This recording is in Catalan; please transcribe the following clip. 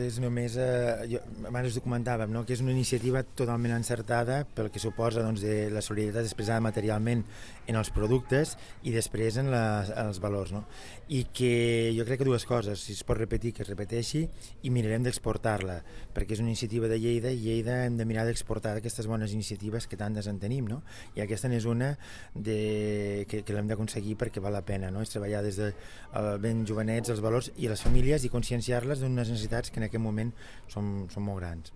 És només, abans ho comentàvem, no? Que és una iniciativa totalment encertada pel que suposa doncs, de la solidaritat expressada materialment en els productes i després en els valors. No? I que jo crec que dues coses, si es pot repetir, que es repeteixi i mirarem d'exportar-la, perquè és una iniciativa de Lleida i Lleida hem de mirar d'exportar aquestes bones iniciatives que tantes en tenim, no? I aquesta n'és una que l'hem d'aconseguir perquè val la pena, no? És treballar des de ben jovenets els valors i les famílies i conscienciar-les d'unes necessitats que en aquest moment són molt grans.